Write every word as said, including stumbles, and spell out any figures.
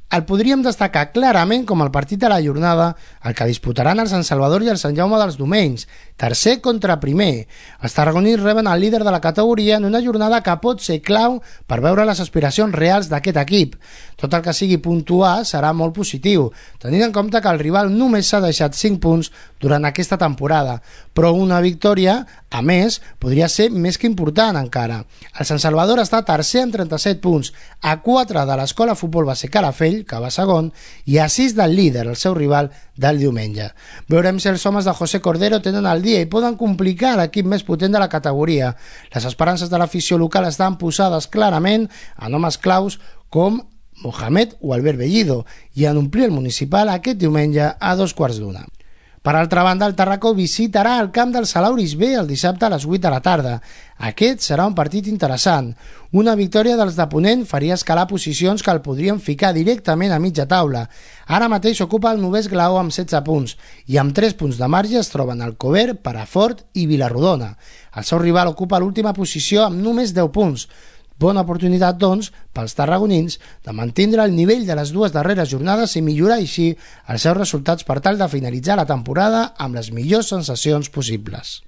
El podríem destacar clarament com el partit de la jornada, el que disputaran el Sant Salvador i el Sant Jaume dels Domenys, tercer contra primer. Els tarragonins reben el líder de la categoria en una jornada que pot ser clau per veure les aspiracions reals d'aquest equip. Tot el que sigui puntuar serà molt positiu, tenint en compte que el rival només s'ha deixat cinc punts durant aquesta temporada, però una victòria, a més, podria ser més que important encara. El Sant Salvador està tercer amb trenta-set punts, a quatre de l'Escola Futbol Base Calafell, que va segon, i a sis del líder, el seu rival del diumenge. Veurem si els homes de José Cordero tenen el dia i poden complicar l'equip més potent de la categoria. Les esperances de l'afició local estan posades clarament en homes claus com Mohamed o Albert Bellido i en omplir el municipal aquest diumenge a dos quarts d'una. Per altra banda, el Tarracó visitarà el camp del Salauris B el dissabte a les vuit de la tarda. Aquest serà un partit interessant. Una victòria dels de Ponent faria escalar posicions que el podrien ficar directament a mitja taula. Ara mateix ocupa el novè esglaó amb setze punts i amb tres punts de marge es troben Alcover, Perafort i Vilarrodona. El seu rival ocupa l'última posició amb només deu punts. Bona oportunitat, doncs, pels tarragonins de mantindre el nivell de les dues darreres jornades i millorar així els seus resultats per tal de finalitzar la temporada amb les millors sensacions possibles.